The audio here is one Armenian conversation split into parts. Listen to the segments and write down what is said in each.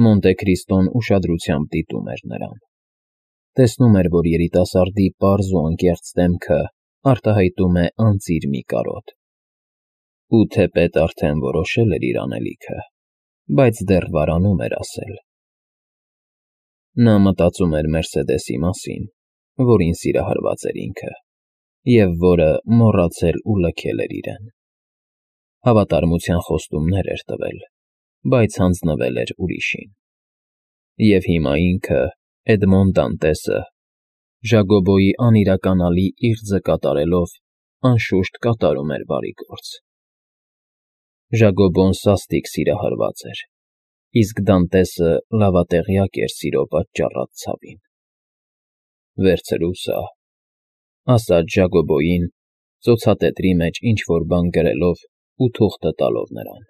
Մոնտե Քրիստոն ուշադրությամբ դիտում էր նրան։ Տեսնում էր, որ երիտասարդի պարզ ու անկեղծ դեմքը արտահայտում է անծիր մի կարոտ։ Ու թեպետ արդեն որոշել էր իր անելիքը, բայց դեռ վարանում էր ասել. Նա մտածում էր Մերսեդեսի մասին, որին սիրահարված էր ինքը, և որը մոռացել ու լքել էր իրեն։ Հավատարմության խոստումներ էր տվել, բայց հանձնվել էր ուրիշին։ Եվ հիմա ինքը, Էդմոն Դանտեսը, Ժակոբոյի անիրականալի իղձը կատարելով, անշուշտ կատարում էր բարի գործ։ Ժակոբոն սաստիկ սիրահարված էր, իսկ Դանտեսը լավատեղյակ էր սիրո պատճառած ցավին։ «Վերցրու սա», ասաց Ժակոբոյին, ծոցատետրի մեջ ինչ֊որ բան գրելով ու թուղթը տալով նրան։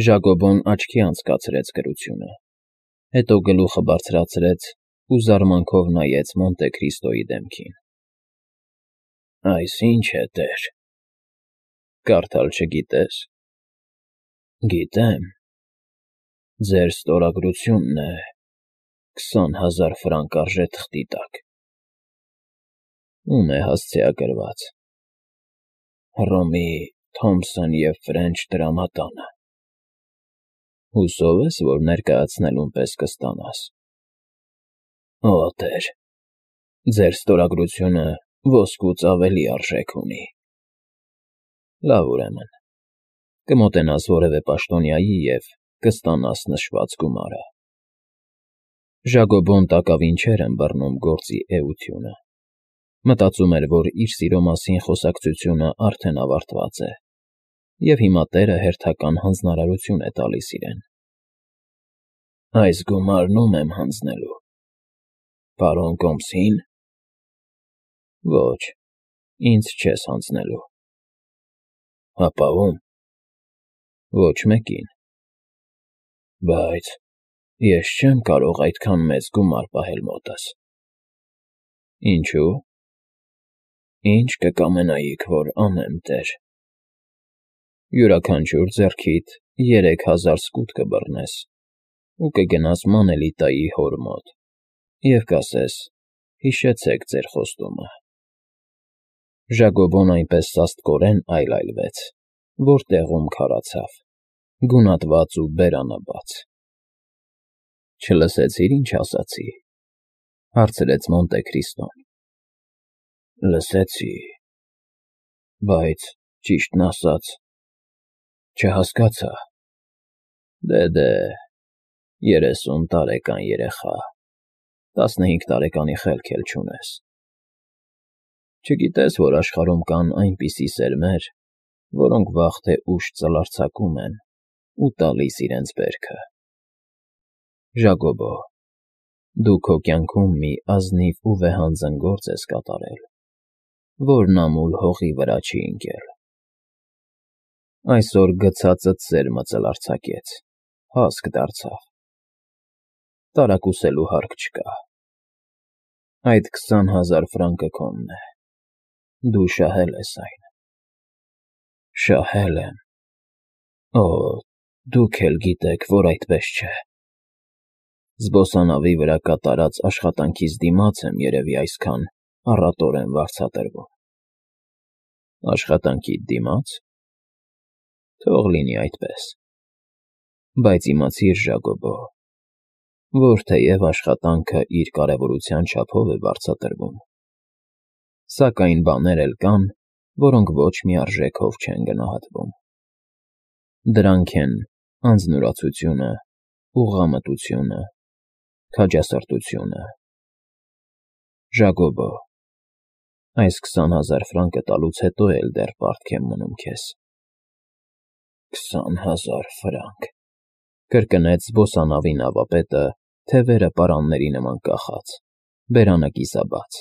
Ժակոբոն աչքի անցկացրեց գրությունը, հետո գլուխը բարձրացրեց ու զարմանքով նայեց Մոնտե Քրիստոյի դեմքին։ «Այս ի՞նչ է, տեր»։ «Կարդալ չգիտես»։ «Գիտեմ։ Ձեր ստորագրությունն է, 20,000 ֆրանկ արժե թղթի տակ»։ «Ում է հասցեագրված»։ «Հռոմի Թոմփսոն և Ֆրենչ տրամադանը»։ «Հուսով ես, որ ներկայացնելուն պես կստանաս»։ «Օ, տեր, ձեր ստորագրությունը ոսկուց ավելի արժեք ունի»։ «Լավ, ուրեմն, կմոտենաս որևէ պաշտոնյայի և կստանաս նշված գումարը»։ Ժակոբոն տակավին չէր ըմբռնում գործի էությունը։ Մտածում էր, որ իր սիրո մասին խոսակցությունը արդեն ավարտված է, և հիմա տերը հերթական հանձնարարություն է տալիս իրեն։ «Այս գումարն ո՞ւմ եմ հանձնելու, պարոն Կոմսի՞ն»։ «Ոչ, ինձ չես հանձնելու»։ «Հապա ո՞ւմ»։ «Ոչ մեկին»։ «Բայց ես չեմ կարող այդքան մեծ գումար պահել մոտս»։ «Ինչո՞ւ»։ «Ի՞նչ կկամենայիք, որ անեմ, տեր»։ «Յուրաքանչյուր ձեռքիդ 3,000 սկուտ կբռնես ու կգնաս Մանելիտայի հոր մոտ և կասես. «Հիշեցեք ձեր խոստումը»։ Ժակոբոն այնպես սաստկորեն այլայլվեց, որ տեղում քարացավ, գունատված ու բերանաբաց։ «Չլսեցի՞ր, ինչ ասացի», հարցրեց Մոնտե Քրիստոն։ «Լսեցի, բայց, ճիշտն ասած, չհասկացա»։ Դե, 30 տարեկան երեխա, 15 տարեկանի խելք էլ չունես։ Չգիտես, որ աշխարհում կան այնպիսի սերմեր, որոնք վաղ թե ուշ ծլարձակում են ու տալիս իրենց բերքը։ Ժակոբո, դու քո կյանքում մի ազնիվ ու վեհանձն գործ ես կատարել, որն ամուլ հողի վրա չի ընկել։ Այսօր գցածդ սերմը ծլարձակեց, հասկ դարձավ։ Տարակուսելու հարկ չկա։ Այդ 20,000 ֆրանկը քոնն է։ Դու շահել ես այն։ Շահել եմ։ Օ, դուք էլ գիտեք, որ այդպես չէ։ Զբոսանավի վրա կատարած աշխատանքիս դիմաց եմ երևի այսքան առատորեն վարձատրվում։ Աշխատանքիդ դիմաց։ Թող լինի այդպես։ Բայց իմացիր, Ժակոբո, որ թեև աշխատանքը իր կարևորության չափով է վարձատրվում, սակայն բաներ էլ կան, որոնք ոչ մի արժեքով չեն գնահատվում։ Դրանք են անձնուրացությունը, ուղղամտությունը, քաջասրտությունը։ Ժակոբո, այս 20,000 ֆրանկը տալուց հետո էլ դեռ պարտք եմ մնում քեզ։ 20,000 ֆրանկ, կրկնեց զբոսանավի նավապետը, թևերը պարանների նման կախած, բերանը կիսաբաց։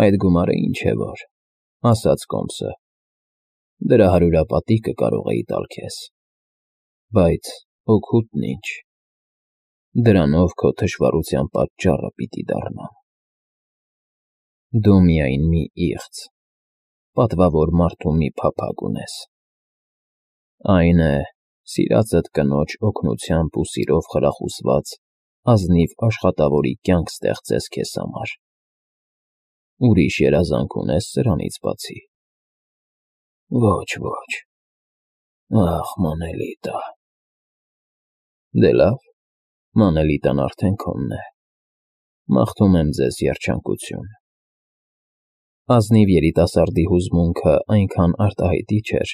Այդ գումարը ինչ է որ, ասաց Կոմսը, դրա հարյուրապատիկը կարող էի տալ քեզ, բայց օգուտն ինչ, դրանով քո թշվառության պատճառը պիտի դառնամ։ Դու միայն մի իղձ, պատվավոր մարդու մի փափագ ունես, այն է Սիրածդ կնոջ օգնությամբ ու սիրով խրախուսված ազնիվ աշխատավորի կյանք ստեղծես քեզ համար։ Ուրիշ երազանք ունես սրանից բացի։ Ոչ, ոչ։ Ախ, Մանելիտա։ Դե լավ, Մանելիտան արդեն քոնն է։ Մաղթում եմ ձեզ երջանկություն։ Ազնիվ երիտասարդի հուզմունքը այնքան արտահայտիչ էր,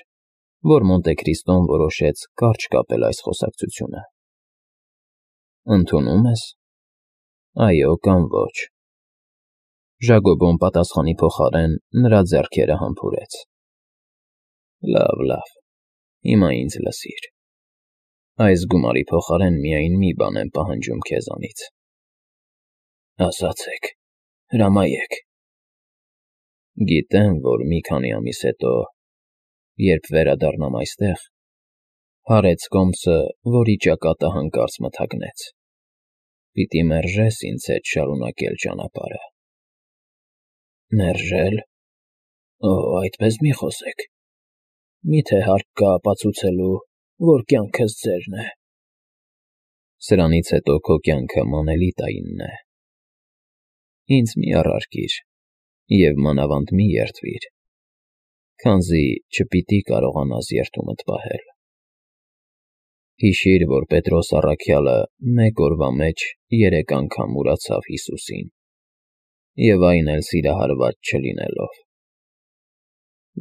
որ Մոնտեքրիստոն որոշեց կարճ կապել այս խոսակցությունը։ Ընդունում ես։ Այո կամ ոչ։ Ժակոբոն պատասխանի փոխարեն նրա ձեռքերը համբուրեց։ Լավ, լավ, հիմա ինձ լսիր։ Այս գումարի փոխարեն միայն մի բան եմ պահանջում քեզանից։ Ասացեք, հրամայեք։ Գիտեմ, որ մի քանի ամիս հետո, երբ վերադառնամ այստեղ, հարեց կոմսը, որի ճակատը հանկարծ մթագնեց։ Պիտի մերժես ինձ հետ շարունակել ճանապարհը։ Մերժել։ Օ, այդպես մի խոսեք։ Միթե հարկ կա ապացուցելու, որ կյանքս ձերն է։ Սրանից հետո քո կյանքը Մանելիտայինն է։ Ինձ մի առարկիր և մանավանդ մի երդվիր, քանզի չպիտի կարողանաս երդումդ պահել։ Հիշիր, որ Պետրոս առաքյալը մեկ օրվա մեջ 3 անգամ ուրացավ Հիսուսին, և այն էլ սիրահարված չլինելով։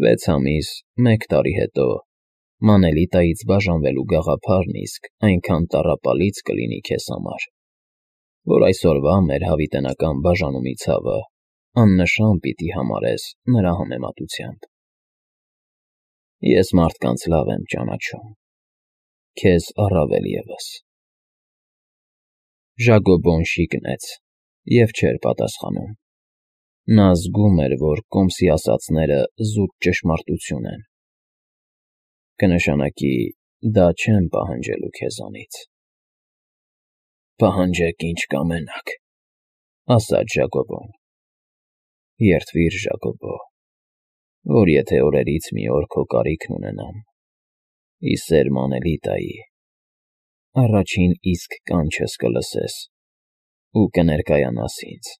6 ամիս, 1 տարի հետո Մանելիտայից բաժանվելու գաղափարն իսկ այնքան տառապալից կլինի քեզ համար, որ այսօրվա մեր հավիտենական բաժանումի ցավը աննշան պիտի համարես նրա համեմատությամբ։ Ես մարդկանց լավ եմ ճանաչում, քեզ առավել ևս։ Ժակոբոն շիկնեց և չէր պատասխանում։ Նա զգում էր, որ կոմսի ասածները զուտ ճշմարտություն են։ Կնշանակի, դա չեմ պահանջելու քեզանից։ Պահանջեք ինչ կամենաք, ասաց Ժակոբոն։ Երդվիր, Ժակոբո, որ եթե օրերից մի օր քո կարիքն ունենամ, ի սեր Մանելիտայի, առաջին իսկ կանչս կլսես ու կներկայանաս ինձ։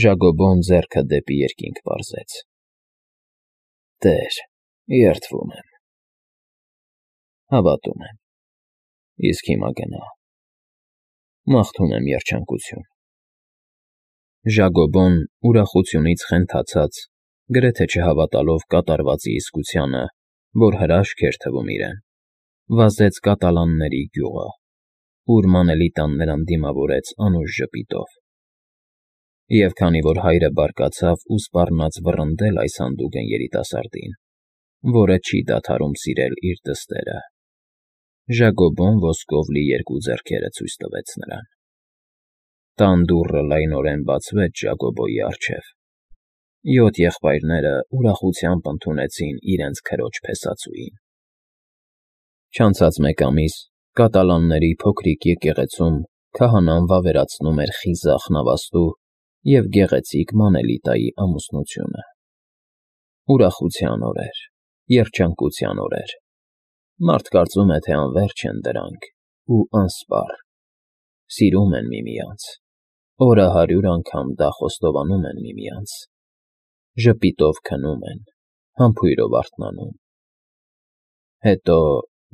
Ժակոբոն ձեռքը դեպի երկինք պարզեց։ Տեր, երդվում եմ։ Հավատում եմ։ Իսկ հիմա գնա։ Մաղթում եմ երջանկություն։ Ժակոբոն ուրախությունից խենթացած, գրեթե չհավատալով կատարվածի իսկությանը, որ հրաշք էր թվում իրեն, վազեց կատալանների գյուղը, ուր Մանելիտան նրան դիմավորեց անուշ ժպիտով։ Եվ քանի որ հայրը բարկացավ ու սպառնաց վռնդել այս հանդուգն երիտասարդին, որը չի դադարում սիրել իր դստերը, Ժակոբոն ոսկով լի 2 ձեռքերը ցույց տվեց նրան։ Տան դուռը լայնորեն բացվեց Ժակոբոյի առջև։ 7 եղբայրները ուրախությամբ ընդունեցին իրենց քրոջ փեսածուին։ Չանցած 1 ամիս կատալանների փոքրիկ եկեղեցում քահանան վավերացնում էր խիզախ նավաստու և գեղեցիկ Մանելիտայի ամուսնությունը։ Ուրախության օրեր, երջանկության օրեր։ Մարդ կարծում է, թե անվերջ են դրանք ու անսպառ։ Սիրում են միմյանց, օրը 100 անգամ դա խոստովանում են միմյանց, ժպիտով քնում են, համբույրով արթնանում։ Հետո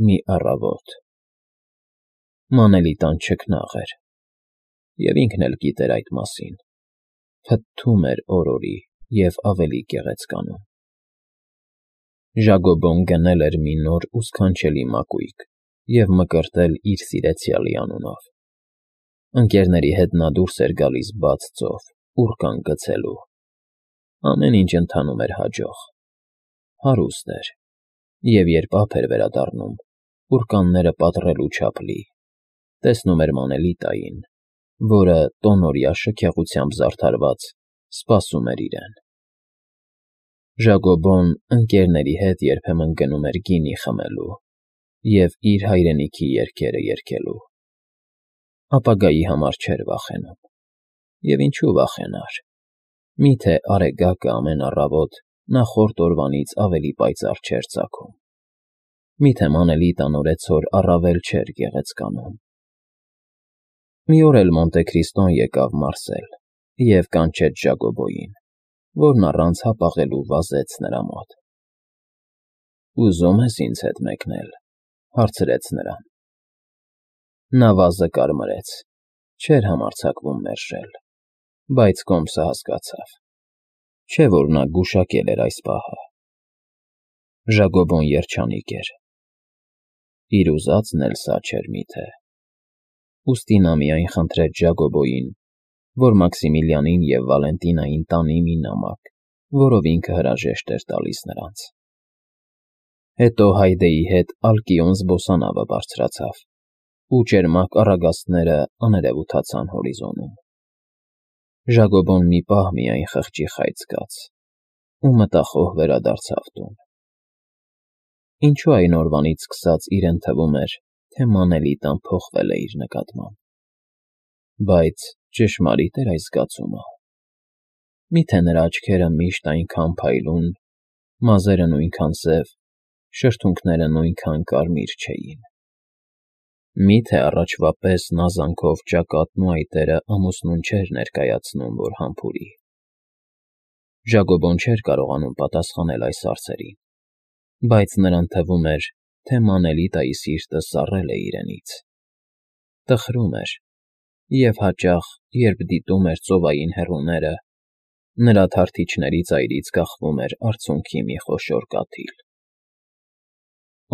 մի առավոտ Մանելիտան չքնաղ էր, և ինքն էլ գիտեր այդ մասին, փթթում էր օրորի և ավելի գեղեցկանում։ Ժակոբոն գնել էր մի նոր ու սքանչելի մակույկ և մկրտել իր սիրեցյալի անունով։ Ընկերների հետ նա դուրս էր գալիս բաց ծով, ուռկան գցելու։ Ամեն ինչ ընթանում էր հաջող։ Հարուստ էր, և երբ ափ էր վերադառնում, ուռկանները պատռելու չափ լի, տեսնում էր Մանելիտային, որը տոնօրյա շքեղությամբ զարդարված սպասում էր իրեն։ Ժակոբոն ընկերների հետ երբեմն գնում էր գինի խմելու և իր հայրենիքի երգերը երգելու։ Ապագայի համար չէր վախենում։ Եվ ինչու վախենար։ Միթե արեգակը ամեն առավոտ նախորդ օրվանից ավելի պայծառ չէր ծագում։ Միթե Մանելիտան օրեցօր առավել չէր գեղեցկանում։ Մի օր էլ Մոնտե-Քրիստոն եկավ Մարսել և կանչեց Ժակոբոյին, որն առանց հապաղելու վազեց նրա մոտ։ «Ուզում ես ինձ հետ մեկնել,֊ հարցրեց նրան։ Նա վազը կարմրեց, չէր համարձակվում մերժել, բայց կոմսը հասկացավ, չէ՞ որ նա գուշակել էր այս պահը։ Ժակոբոն երջանիկ էր։ Իր ուզածն էլ սա չէր միթե։ Ուստի նա միայն խնդրեց Ժակոբոյին, որ Մաքսիմիլիանին և Վալենտինային տանի մի նամակ, որով ինքը հրաժեշտ էր տալիս նրանց։ Հետո Հայդեի հետ Ալկիոն զբոսանավը բարձրացավ, ու ճերմակ առագաստները աներևութացան հորիզոնում։ Ժակոբոն մի պահ միայն խղճի խայծ զգաց ու մտախոհ վերադարձավ տուն։ Ինչու այն օրվանից սկսած իրեն թվում էր, թե Մանելիտան փոխվել է իր նկատմամբ։ Բայց ճշմարի՞տ էր այս զգացումը։ Միթե նրա աչքերը միշտ այնքան փայլուն, մազերը նույնքան սև, շրթունքները նույնքան կարմիր չէին։ Միթե առաջվա պես նա զանքով ճակատն ու այտերը ամուսնուն չէր ներկայացնում, որ համբուրի։ Ժակոբոն չէր կարողանում պատասխանել այս հարցերին, բայց նրան թվում էր, թե Մանելիտայի սիրտը սառել է իրենից։ Տխրում էր, և հաճախ, երբ դիտում էր ծովային հեռուները, նրա թարթիչների ծայրից կախվում էր արցունքի մի խոշոր կաթիլ։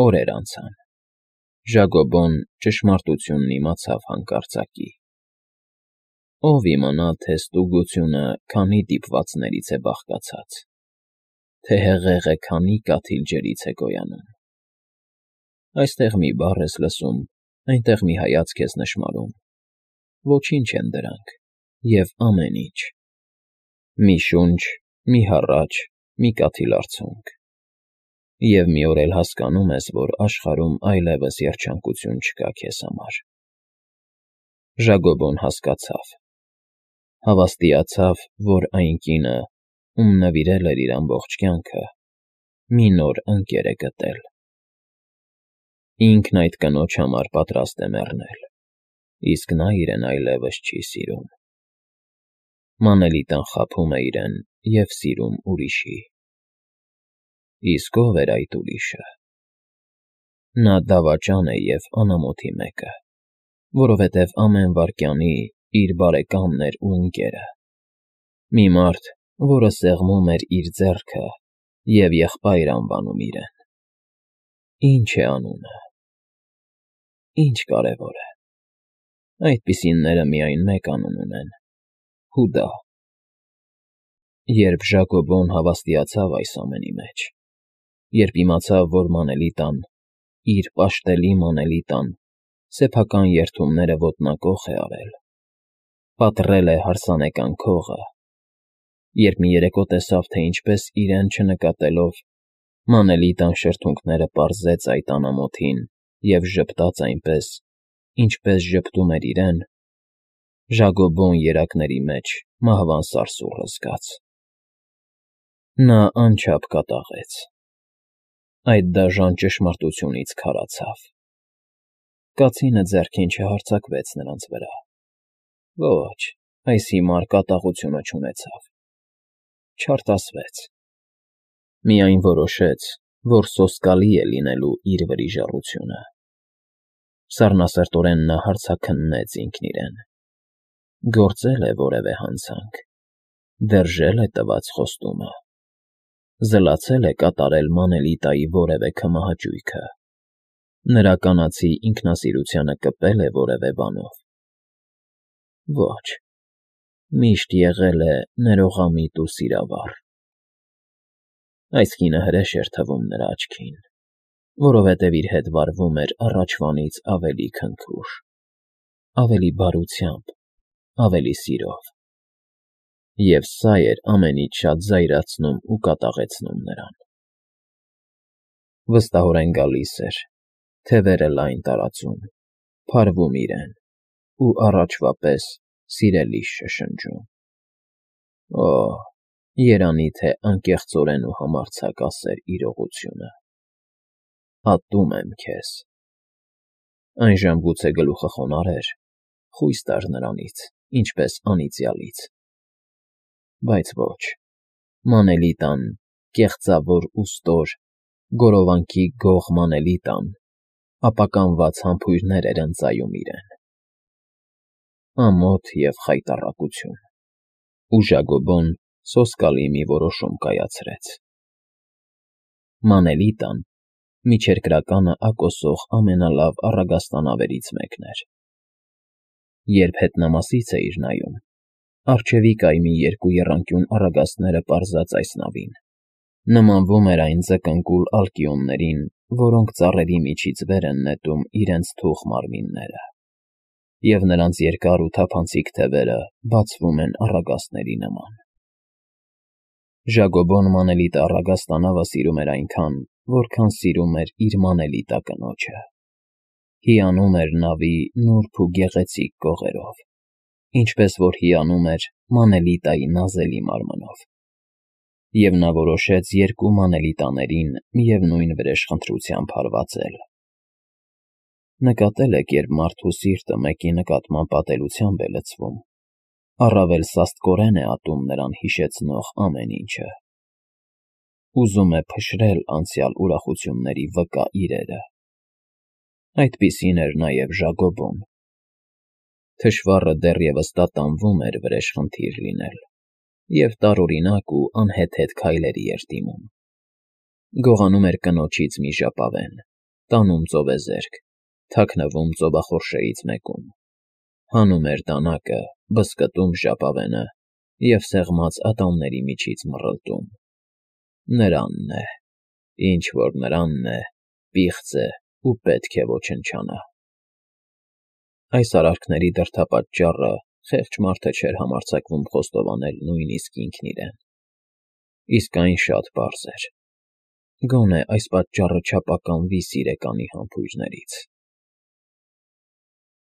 Օրեր անցան։ Ժակոբոն ճշմարտությունն իմացավ հանկարծակի։ Ո՞վ իմանա, թե ստուգությունը քանի դիպվածներից է բաղկացած, թե հեղեղը քանի կաթիլ ջրից է գոյանում։ Այստեղ մի բառ ես լսում, այնտեղ մի հայացք ես նշմարում, ոչինչ են դրանք, և ամեն ինչ։ Մի շունչ, մի հառաչ, մի կաթիլ արցունք։ Եվ մի օր էլ հասկանում ես, որ աշխարհում այլևս երջանկություն չկա քեզ համար։ Ժակոբոն հասկացավ։ Հավաստիացավ, որ այն կինը, ում նվիրել էր իր ամբողջ կյանքը, մի նոր ընկեր է գտել։ Ինքն այդ կնոջ համար պատրաստ է մեռնել, իսկ նա իրեն այլևս չի սիրում։ Մանելիտան խաբում է իրեն և սիրում ուրիշի։ Իսկ ո՞վ էր այդ ուրիշը։ Նա դավաճան է և անամոթի մեկը, որովհետև ամեն վայրկյանի իր բարեկամն էր ու ընկերը։ Մի մարդ, որը սեղմում էր իր ձեռքը և եղբայր անվանում իրեն։ Ի՞նչ է անունը։ Ի՞նչ կարևոր է։ Այդպիսինները միայն մեկ անուն ունեն՝ Հուդա։ Երբ Ժակոբոն հավաստիացավ այս ամենի մեջ, երբ իմացավ, որ Մանելիտան, իր պաշտելի Մանելիտան, սեփական երդումները ոտնակոխ է արել, պատռել է հարսանեկան քողը, երբ մի երեկո տեսավ, թե ինչպես իրեն չնկատելով, Մանելիտան շրթունքները պարզեց այդ անամոթին և ժպտաց այնպես, ինչպես ժպտում էր իրեն, Ժակոբոն երակների մեջ մահվան սարսուռը զգաց։ Նա անչափ կատաղեց։ Այդ դաժան ճշմարտությունից քարացավ։ Կացինը ձեռքին չհարձակվեց նրանց վրա։ Ոչ, այս հիմար կատաղությունը չունեցավ։ Չարտասվեց։ Միայն որոշեց, որ սոսկալի է լինելու իր վրիժառությունը։ Սառնասրտորեն նա հարցաքննեց ինքն իրեն. գործել է որևէ հանցանք, դրժել է տված խոստումը, զլացել է կատարել Մանելիտայի որևէ քմահաճույքը, նրա կանացի ինքնասիրությանը կպել է որևէ բանով։ Ոչ, միշտ եղել է ներողամիտ ու սիրավառ։ Այս կինը հրեշ էր թվում նրա աչքին, որովհետև իր հետ վարվում էր առաջվանից ավելի քնքուշ, ավելի բարությամբ, ավելի սիրով։ Եվ սա էր ամենից շատ զայրացնում ու կատաղեցնում նրան։ Վստահորեն գալիս էր, թևերը լայն տարածում, փարվում իրեն ու առաջվա պես սիրելիս շշնջում։ Օ՜, երանի թե անկեղծորեն ու համարձակ ասեր իրողությունը։ Ատում եմ քեզ։ Այն ժամ գուցե գլուխը խոնարհեր, խույս տար նրանից, ինչպես անիծյալից։ Բայց ոչ, մանելի տան, կեղծավոր ու ստոր, գորովանքի գող մանելի տան, ապականված համբույրներ էր ընծայում իրեն։ Ամոթ և խայտառակություն։ Ու Ժագոբոն սոսկալի մի որոշում կայացրեց։ Մանելի տան միջերկրականը ակոսող ամենալավ առագաստանավերից մեկն էր։ Երբ հետնամասից էիր նայում, առջևի կայմի երկու եռանկյուն առագաստները պարզած այս նավին, նմանվում էր այն ձկնկուլ ալկիոններին, որոնք ծառերի միջից վեր են նետում իրենց թուխ մարմինները, և նրանց երկար ու թափանցիկ թևերը բացվում են առագաստների նման։ Ժագոբոն մանելիտը առագաստանավը սիրում էր այնքան, որքան սիրում էր իր մանելիտա կնոջը։ Հիանում էր նավի նուրբ ու գեղեցիկ կողերով, ինչպես որ հիանում էր մանելիտայի նազելի մարմնով։ Եվ նա որոշեց երկու մանելիտաներին միևնույն վրեժխնդրությամբ հարվածել։ Նկատել եք, երբ մարդու սիրտը մեկի նկատմամբ ատելությամբ է լցվում, առավել սաստկորեն է ատում նրան հիշեցնող ամեն ինչը։ Ուզում է փշրել անցյալ ուրախությունների վկա իրերը։ Այդպիսին էր նաև Ժագոբոն։ Թշվառը դեռևս տատանվում էր վրեժխնդիր լինել և տարօրինակ ու անհեթեթ քայլերի էր դիմում։ Գողանում էր կնոջից մի ժապավեն, տանում ծովեզերք, թաքնվում ծովախորշերից մեկում, հանում էր դանակը, բզկտում ժապավենը և սեղմած ատամների միջից մռլտում. «Նրանն է, ինչ որ նրանն է, պիղծ է ու պետք է ոչնչանա»։ Այս արարքների դրդապատճառը խեղճ մարդը չէր համարձակվում խոստովանել նույնիսկ ինքն իրեն։ Իսկ այն շատ պարզ էր. գոնե այս պատճառը չապականվի սիրեկանի համբույրներից։